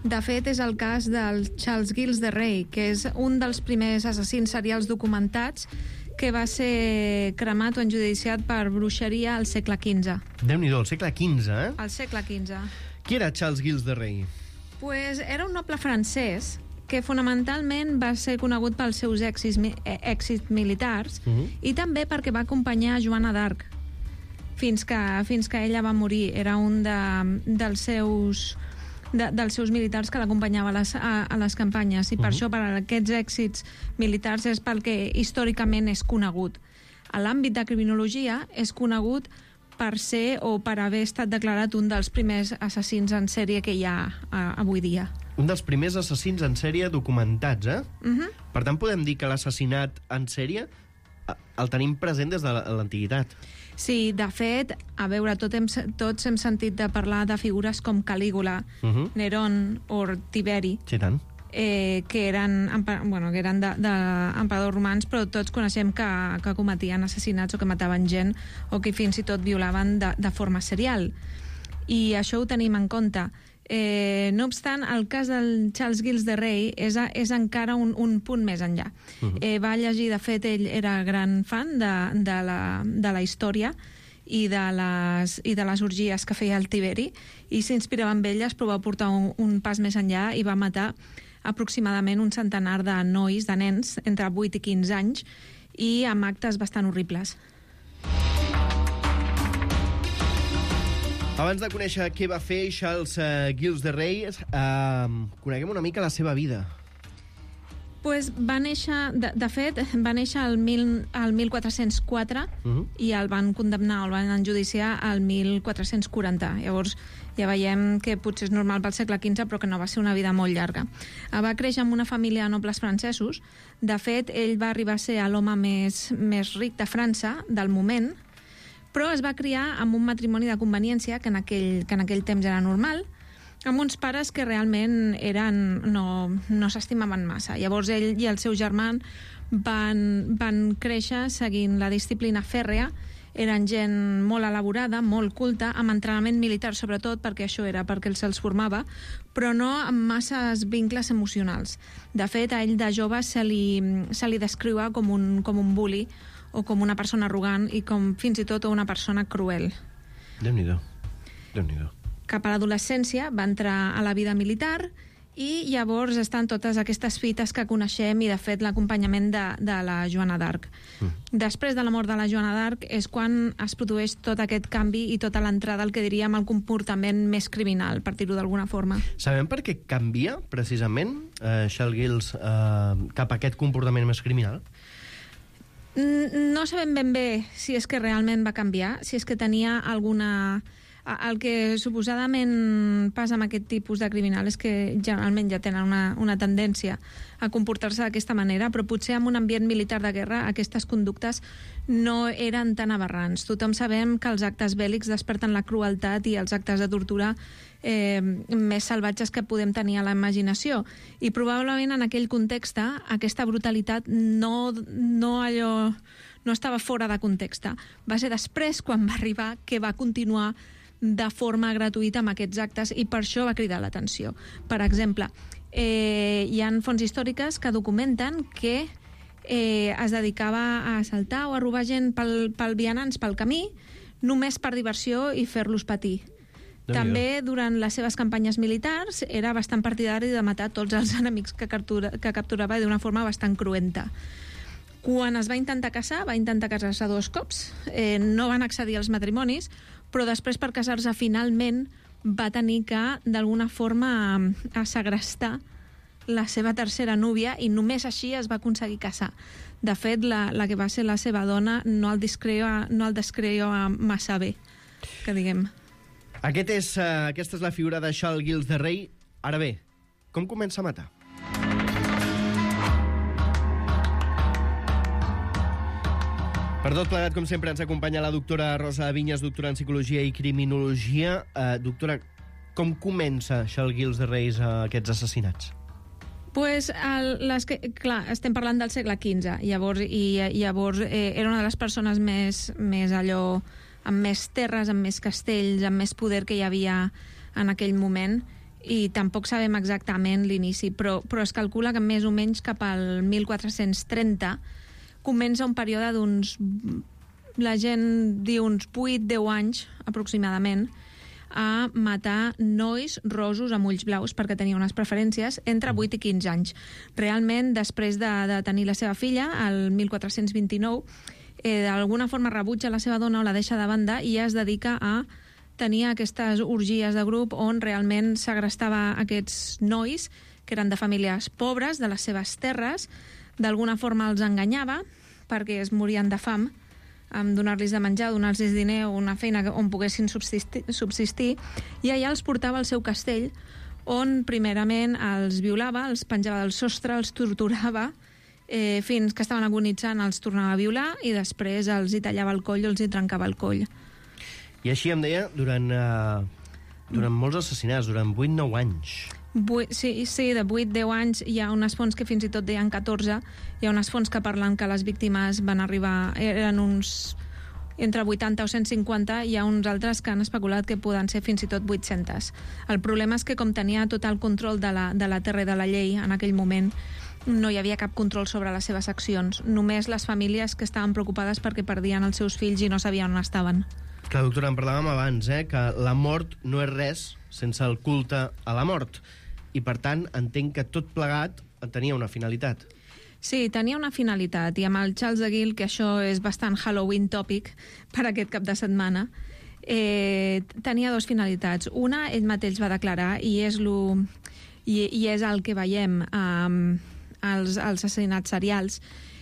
De fet, és el cas del Charles Gilles de Rais, que és un dels primers assassins serials documentats que va ser cremat o enjudiciat per bruixeria al segle XV. Déu-n'hi-do, al segle XV, eh? Al segle XV. Qui era Charles Gilles de Rei? Pues era un noble francès que fonamentalment va ser conegut pels seus èxits militars i també perquè va acompanyar Joana d'Arc fins que ella va morir. Era un dels seus militars que l'acompanyava a les campanyes i per això, per aquests èxits militars, és pel que històricament és conegut. A l'àmbit de criminologia és conegut per ser o per haver estat declarat un dels primers assassins en sèrie que hi ha avui dia. Un dels primers assassins en sèrie documentats, eh? Per tant, podem dir que l'assassinat en sèrie el tenim present des de l'antiguitat. Sí, de fet, a veure, tots hem sentit de parlar de figures com Calígula, Nerón o Tiberi, Sí, tant. que eren d'emperadors romans, però tots coneixem que cometien assassinats o que mataven gent o que fins i tot violaven de forma serial. I això ho tenim en compte. No obstant, el cas del Charles Gilles de Rei és encara un punt més enllà. Va llegir, de fet, ell era gran fan de la història i de les orgies que feia el Tiberi, i s'inspirava en elles, però va portar un pas més enllà i va matar aproximadament un centenar de nois, de nens, entre 8 i 15 anys, i amb actes bastant horribles. Abans de conèixer què va fer Charles Gilles de Rei, coneguem una mica la seva vida. Pues va néixer, de fet, va néixer el 1404 i el van condemnar, el van enjudiciar al 1440. Llavors, ja veiem que potser és normal pel segle XV, però que no va ser una vida molt llarga. Va créixer en una família de nobles francesos. De fet, ell va arribar a ser l'home més ric de França del moment, però es va criar amb un matrimoni de conveniència, que en aquell temps era normal, amb uns pares que realment no s'estimaven massa. Llavors ell i el seu germà van créixer seguint la disciplina fèrrea, eren gent molt elaborada, molt culta, amb entrenament militar sobretot, perquè això era perquè se'ls formava, però no amb masses vincles emocionals. De fet, a ell de jove se li descriu com un bully o com una persona arrogant i com fins i tot una persona cruel. Déu-n'hi-do. Déu-n'hi-do. Cap a l'adolescència va entrar a la vida militar i llavors estan totes aquestes fites que coneixem i, de fet, l'acompanyament de la Joana d'Arc. Després de la mort de la Joana d'Arc és quan es produeix tot aquest canvi i tota l'entrada al que diríem el comportament més criminal, per dir-ho d'alguna forma. Sabem per què canvia, precisament, Charles Gilles cap a aquest comportament més criminal? No sabem ben bé si és que realment va canviar, si és que tenia alguna... El que suposadament passa amb aquest tipus de criminal és que generalment ja tenen una tendència a comportar-se d'aquesta manera, però potser en un ambient militar de guerra aquestes conductes no eren tan aberrants. Tothom sabem que els actes bèl·lics desperten la crueltat i els actes de tortura més salvatges que podem tenir a la imaginació. I probablement en aquell context aquesta brutalitat no estava fora de context. Va ser després, quan va arribar, que va continuar de forma gratuïta amb aquests actes i per això va cridar l'atenció. Per exemple, hi ha fonts històriques que documenten que es dedicava a assaltar o a robar gent pel vianants pel camí només per diversió i fer-los patir. També, durant les seves campanyes militars, era bastant partidari de matar tots els enemics que capturava d'una forma bastant cruenta. Quan es va intentar casar, va intentar casar-se 2 cops. No van accedir als matrimonis, però després, per casar-se, finalment va tenir que, d'alguna forma, segrestar la seva tercera núvia i només així es va aconseguir casar. De fet, la que va ser la seva dona no el descreia massa bé, que diguem. Aquesta és la figura de Charles Gilles de Rei. Ara bé, com comença a matar? Per tot plegat, com sempre, ens acompanya la doctora Rosa Vinyes, doctora en Psicologia i Criminologia. Doctora, com comença Charles Gilles de Rei aquests assassinats? Pues, clar, estem parlant del segle XV, llavors era una de les persones més allò, amb més terres, amb més castells, amb més poder que hi havia en aquell moment, i tampoc sabem exactament l'inici, però es calcula que més o menys cap al 1430, comença un període d'uns... La gent diu uns 8-10 anys, aproximadament, a matar nois rosos amb ulls blaus perquè tenia unes preferències entre 8 i 15 anys. Realment, després de tenir la seva filla, el 1429, d'alguna forma rebutja la seva dona o la deixa de banda i es dedica a tenir aquestes orgies de grup on realment segrestava aquests nois que eren de famílies pobres, de les seves terres, d'alguna forma els enganyava perquè es morien de fam, amb donar-los de menjar, donar-los diner o una feina on poguessin subsistir, i allà els portava al seu castell, on primerament els violava, els penjava del sostre, els torturava, fins que estaven agonitzant, els tornava a violar i després els hi tallava el coll o els hi trencava el coll. I així em deia, durant molts assassinats, durant 8-9 anys. Sí, de 8-10 anys. Hi ha unes fonts que fins i tot deien 14. Hi ha unes fonts que parlen que les víctimes van arribar... Eren uns... entre 80 o 150. Hi ha uns altres que han especulat que poden ser fins i tot 800. El problema és que com tenia tot el control de la terra i de la llei en aquell moment, no hi havia cap control sobre les seves accions. Només les famílies que estaven preocupades perquè perdien els seus fills i no sabien on estaven. Clar, doctora, en parlàvem abans, que la mort no és res sense el culte a la mort. I, per tant, entenc que tot plegat tenia una finalitat. Sí, tenia una finalitat, i amb el Charles de Gaulle, que això és bastant Halloween tòpic per aquest cap de setmana, tenia dues finalitats. Una, ell mateix va declarar, i és el que veiem als assassinats serials,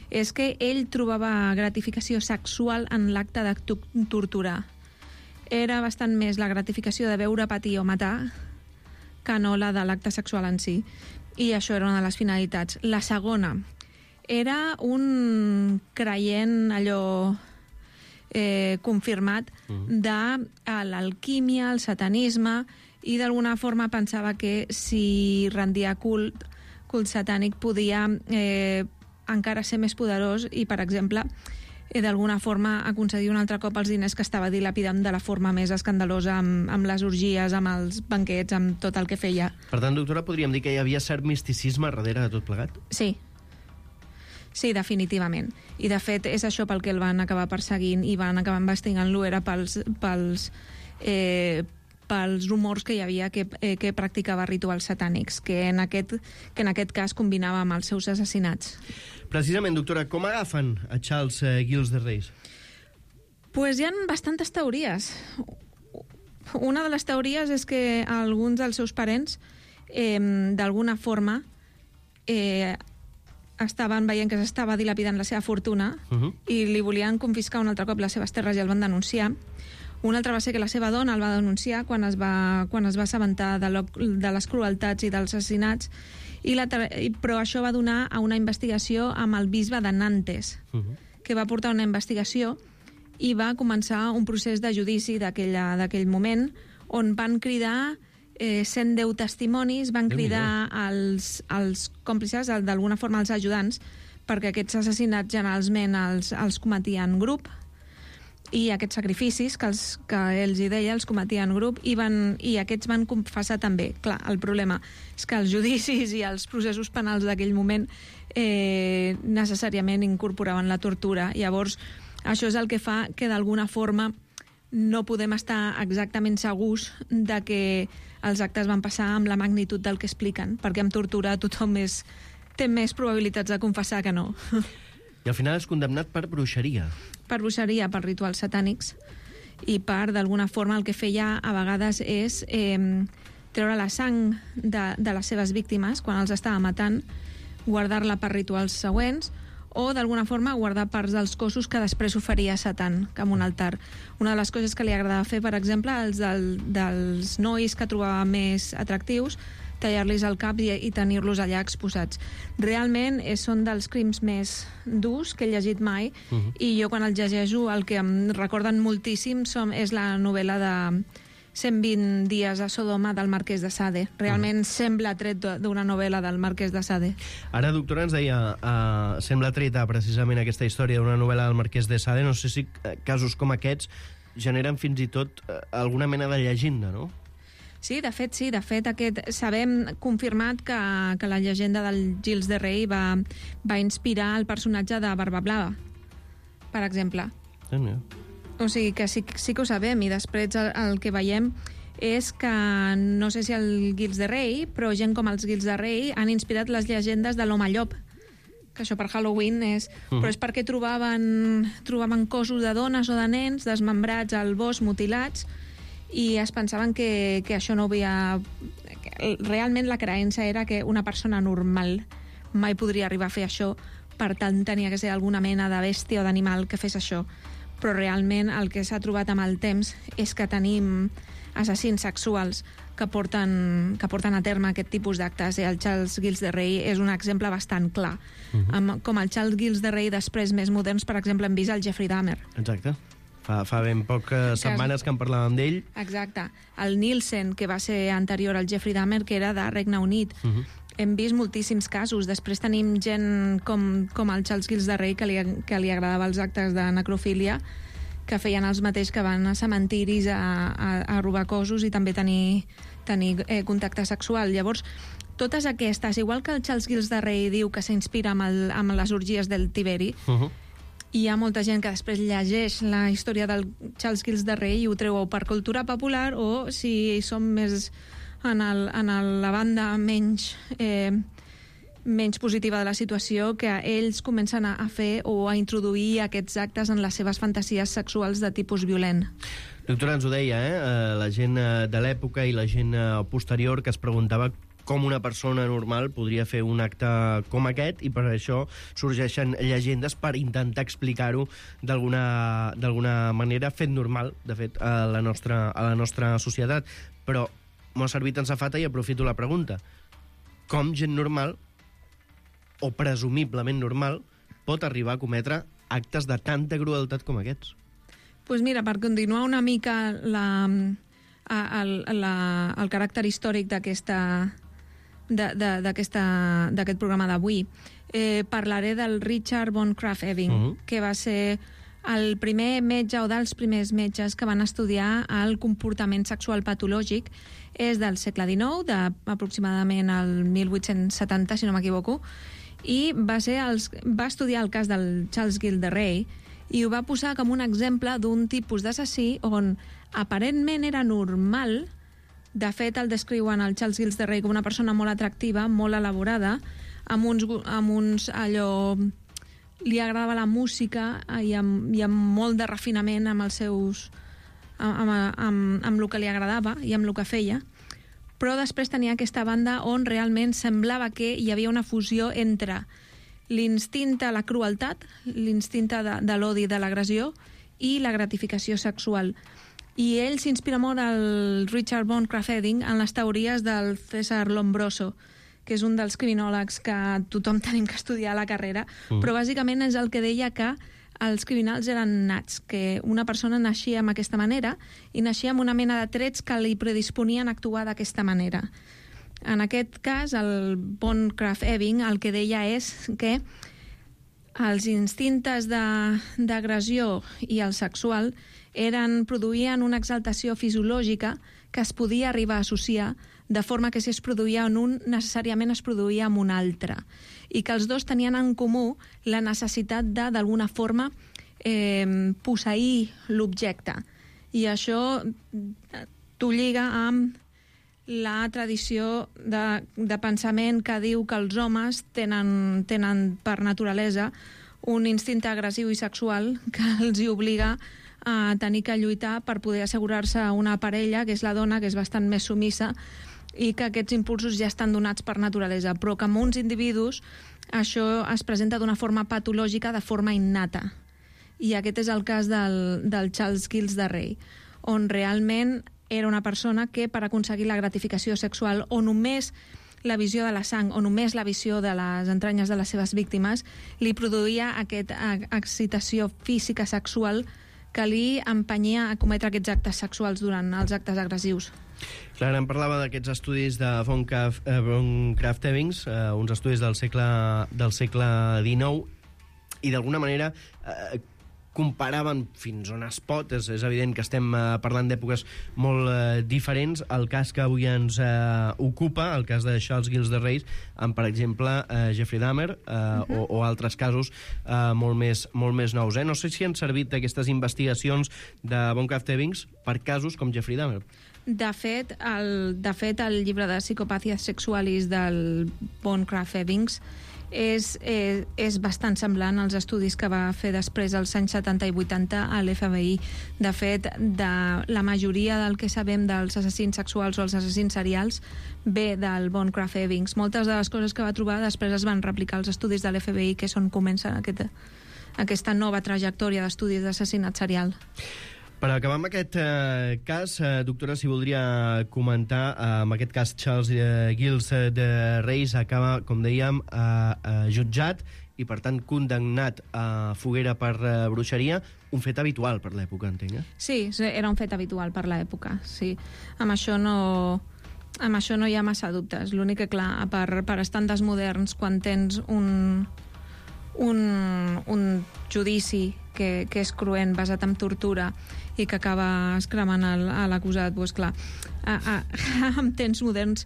és que ell trobava gratificació sexual en l'acte de torturar. Era bastant més la gratificació de veure patir o matar que no la de l'acte sexual en si. I això era una de les finalitats. La segona era un creient allò confirmat de l'alquímia, el satanisme, i d'alguna forma pensava que si rendia cult satànic podia encara ser més poderós i, per exemple, d'alguna forma aconseguir un altre cop els diners que estava dilapidant de la forma més escandalosa amb les orgies, amb els banquets, amb tot el que feia. Per tant, doctora, podríem dir que hi havia cert misticisme darrere de tot plegat? Sí. Sí, definitivament. I, de fet, és això pel que el van acabar perseguint i van acabar investigant-lo, era pels rumors que hi havia que practicava rituals satànics, que en aquest cas combinava amb els seus assassinats. Precisament, doctora, com agafen a Charles Gilles de Rais? Pues hi ha bastantes teories. Una de les teories és que alguns dels seus parents, d'alguna forma, estaven veient que s'estava dilapidant la seva fortuna i li volien confiscar un altre cop les seves terres i el van denunciar. Un altre va ser que la seva dona el va denunciar quan es va assabentar de les crueltats i dels assassinats, però això va donar a una investigació amb el bisbe de Nantes, que va portar una investigació i va començar un procés de judici d'aquell moment, on van cridar 110 testimonis, van cridar els còmplices, d'alguna forma els ajudants, perquè aquests assassinats generalment els cometien grup, i aquests sacrificis que ells hi deia els cometien grup i aquests van confessar també. Clar, el problema és que els judicis i els processos penals d'aquell moment necessàriament incorporaven la tortura. Llavors, això és el que fa que d'alguna forma no podem estar exactament segurs de que els actes van passar amb la magnitud del que expliquen, perquè amb tortura tothom té més probabilitats de confessar que no. I al final és condemnat per bruixeria. Per bruixeria, per rituals satànics, i per, d'alguna forma, el que feia a vegades és treure la sang de les seves víctimes quan els estava matant, guardar-la per rituals següents, o d'alguna forma guardar parts dels cossos que després oferia a Satan, com un altar. Una de les coses que li agradava fer, per exemple, dels nois que trobava més atractius, tallar-los el cap i tenir-los allà exposats. Realment són dels crims més durs que he llegit mai, i jo quan el llegeixo el que em recorden moltíssim és la novel·la de 120 dies a Sodoma del Marquès de Sade. Realment sembla tret d'una novel·la del Marquès de Sade. Ara, doctora, ens deia, sembla treta precisament aquesta història d'una novel·la del Marquès de Sade. No sé si casos com aquests generen fins i tot alguna mena de llegenda, no? Sí, de fet, sabem confirmat que la llegenda del Gilles de Rei va inspirar el personatge de Barba Blava, per exemple. O sigui que sí que ho sabem, i després el que veiem és que, no sé si el Gilles de Rei, però gent com els Gilles de Rei han inspirat les llegendes de l'home llop, que això per Halloween és... Però és perquè trobaven cossos de dones o de nens desmembrats al bosc, mutilats, i es pensaven que això no havia... Realment la creença era que una persona normal mai podria arribar a fer això, per tant tenia que ser alguna mena de bèstia o d'animal que fes això. Però realment el que s'ha trobat amb el temps és que tenim assassins sexuals que porten a terme aquest tipus d'actes, i el Charles Gilles de Rei és un exemple bastant clar. Com el Charles Gilles de Rei després, més moderns, per exemple, hem vist el Jeffrey Dahmer. Exacte. Fa ben poques setmanes que en parlàvem d'ell. Exacte. El Nielsen, que va ser anterior al Jeffrey Dahmer, que era de Regne Unit. Hem vist moltíssims casos. Després tenim gent com el Charles Gilles de Rei, que li agradava els actes de necrofília, que feien els mateix que van a cementiris a robar cossos i també tenir contacte sexual. Llavors, totes aquestes, igual que el Charles Gilles de Rei diu que s'inspira amb les orgies del Tiberi, hi ha molta gent que després llegeix la història del Charles Gilles de Rei i ho treu per cultura popular, o si som més en la banda menys positiva de la situació, que ells comencen a fer o a introduir aquests actes en les seves fantasies sexuals de tipus violent. Doctora, ens ho deia, la gent de l'època i la gent posterior que es preguntava com una persona normal podria fer un acte com aquest, i per això sorgeixen llegendes per intentar explicar-ho d'alguna manera, fet normal, de fet, a la nostra societat. Però m'ha servit en safata i aprofito la pregunta. Com gent normal, o presumiblement normal, pot arribar a cometre actes de tanta crueltat com aquests? Doncs mira, per continuar una mica el caràcter històric d'aquest programa d'avui, parlaré del Richard von Krafft-Ebing, que va ser el primer metge o dels primers metges que van estudiar el comportament sexual patològic. És del segle XIX, aproximadament al 1870, si no m'equivoco, i va estudiar el cas del Charles Gilles de Rei i ho va posar com un exemple d'un tipus d'assassí on aparentment era normal. De fet, el descriuen el Charles Gilles de Rei com una persona molt atractiva, molt elaborada, amb uns allò... Li agradava la música i amb molt de refinament amb els seus... amb el que li agradava i amb el que feia. Però després tenia aquesta banda on realment semblava que hi havia una fusió entre l'instint de la crueltat, l'instint de l'odi, de l'agressió, i la gratificació sexual. I ell s'inspira molt, el Richard von Krafft-Ebing, en les teories del César Lombroso, que és un dels criminòlegs que tothom tenim que estudiar a la carrera, però bàsicament és el que deia que els criminals eren nats, que una persona naixia amb aquesta manera i naixia amb una mena de trets que li predisponien a actuar d'aquesta manera. En aquest cas, el von Krafft-Ebing el que deia és que els instintes d'agressió i el sexual produïen una exaltació fisiològica que es podia arribar a associar, de forma que si es produïa en un, necessàriament es produïa en un altre. I que els dos tenien en comú la necessitat de, d'alguna forma, posseir l'objecte. I això t'ho lliga amb la tradició de pensament que diu que els homes tenen per naturalesa un instint agressiu i sexual que els hi obliga a tenir que lluitar per poder assegurar-se una parella, que és la dona, que és bastant més sumissa, i que aquests impulsos ja estan donats per naturalesa, però que en uns individus això es presenta d'una forma patològica, de forma innata. I aquest és el cas del Charles Gilles de Rei, on realment era una persona que, per aconseguir la gratificació sexual, o només la visió de la sang, o només la visió de les entranyes de les seves víctimes, li produïa aquesta excitació física sexual que li empenyia a cometre aquests actes sexuals durant els actes agressius. Clar, em parlava d'aquests estudis de von Krafft-Ebing, uns estudis del segle XIX, i d'alguna manera comparaven fins on es pot. És evident que estem parlant d'èpoques molt diferents. El cas que avui ens ocupa, el cas de Charles Gilles de Reis, amb, per exemple, Jeffrey Dahmer, o altres casos molt més nous. No sé si han servit aquestes investigacions de Bancroft Evans per casos com Jeffrey Dahmer. De fet, el llibre de Psicopàties Sexualis del Bancroft Evans és bastant semblant als estudis que va fer després als anys 70 i 80 a l'FBI. De fet, la majoria del que sabem dels assassins sexuals o els assassins serials ve del Bancroft Evans. Moltes de les coses que va trobar després es van replicar als estudis de l'FBI, que és on comença aquesta nova trajectòria d'estudis d'assassinat serial. Per acabar amb aquest cas, doctora, si voldria comentar, amb aquest cas Charles Gilles de Reis acaba, com dèiem, jutjat i, per tant, condemnat a foguera per bruixeria, un fet habitual per l'època, entenc? Sí, era un fet habitual per l'època, sí. Amb això no hi ha massa dubtes. L'únic que, clar, per estàndards moderns, quan tens un judici que és cruent, basat en tortura, i que acaba escremant l'acusat, doncs clar, en temps moderns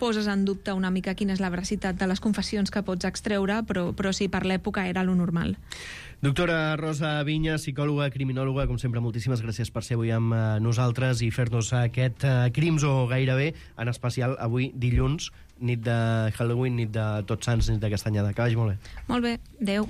poses en dubte una mica quina és la veracitat de les confessions que pots extreure, però sí, per l'època era lo normal. Doctora Rosa Viñas, psicòloga, criminòloga, com sempre, moltíssimes gràcies per ser avui amb nosaltres i fer-nos aquest Crims o gairebé, en especial avui dilluns, nit de Halloween, nit de Tots Sants, nit de Castanyada. Que vagi molt bé. Molt bé, adeu.